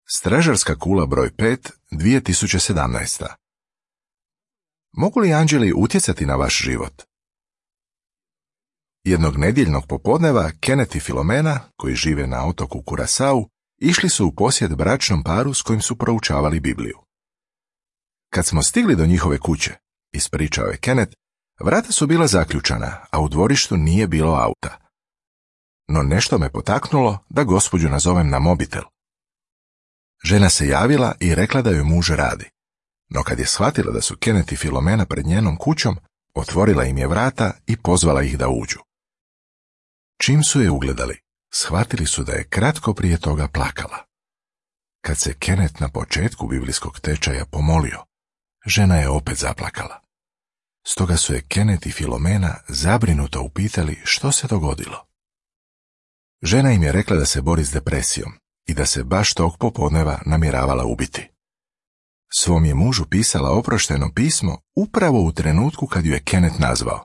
Stražarska kula broj 5, 2017. Mogu li anđeli utjecati na vaš život? Jednog nedjeljnog popodneva Kenneth i Filomena, koji žive na otoku Kurasau, išli su u posjet bračnom paru s kojim su proučavali Bibliju. Kad smo stigli do njihove kuće, ispričao je Kenneth, vrata su bila zaključana, a u dvorištu nije bilo auta. No nešto me potaknulo da gospođu nazovem na mobitel. Žena se javila i rekla da joj muž radi. No kad je shvatila da su Kenneth i Filomena pred njenom kućom, otvorila im je vrata i pozvala ih da uđu. Čim su je ugledali, shvatili su da je kratko prije toga plakala. Kad se Kenneth na početku biblijskog tečaja pomolio, žena je opet zaplakala. Stoga su je Kenneth i Filomena zabrinuto upitali što se dogodilo. Žena im je rekla da se bori s depresijom i da se baš tog popodneva namjeravala ubiti. Svom je mužu pisala oprošteno pismo upravo u trenutku kad ju je Kenneth nazvao.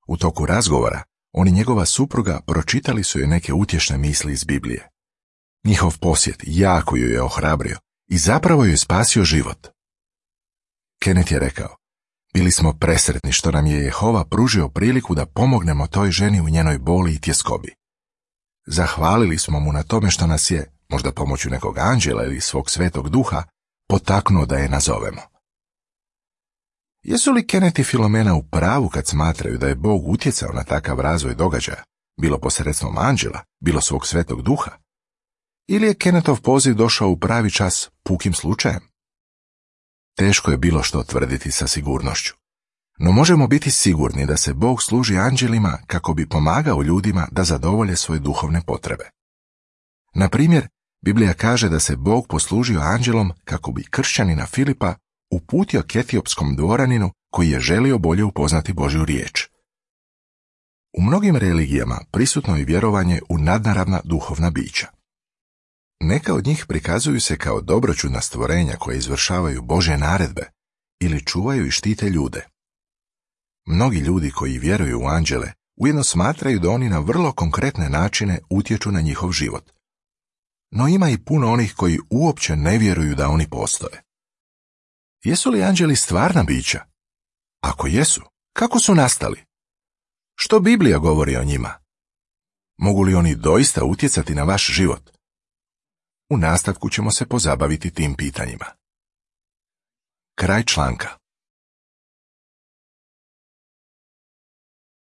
U toku razgovora, on i njegova supruga pročitali su joj neke utješne misli iz Biblije. Njihov posjet jako ju je ohrabrio i zapravo joj spasio život. Kenneth je rekao, bili smo presretni što nam je Jehova pružio priliku da pomognemo toj ženi u njenoj boli i tjeskobi. Zahvalili smo mu na tome što nas je, možda pomoću nekog anđela ili svog svetog duha, potaknuo da je nazovemo. Jesu li Kenneth i Filomena u pravu kad smatraju da je Bog utjecao na takav razvoj događaja, bilo posredstvom anđela, bilo svog svetog duha? Ili je Kennethov poziv došao u pravi čas pukim slučajem? Teško je bilo što tvrditi sa sigurnošću. No možemo biti sigurni da se Bog služi anđelima kako bi pomagao ljudima da zadovolje svoje duhovne potrebe. Na primjer, Biblija kaže da se Bog poslužio anđelom kako bi kršćanina Filipa uputio k etiopskom dvoraninu koji je želio bolje upoznati Božju riječ. U mnogim religijama prisutno je vjerovanje u nadnaravna duhovna bića. Neka od njih prikazuju se kao dobroćudna stvorenja koje izvršavaju Božje naredbe ili čuvaju i štite ljude. Mnogi ljudi koji vjeruju u anđele ujedno smatraju da oni na vrlo konkretne načine utječu na njihov život. No ima i puno onih koji uopće ne vjeruju da oni postoje. Jesu li anđeli stvarna bića? Ako jesu, kako su nastali? Što Biblija govori o njima? Mogu li oni doista utjecati na vaš život? U nastavku ćemo se pozabaviti tim pitanjima. Kraj članka.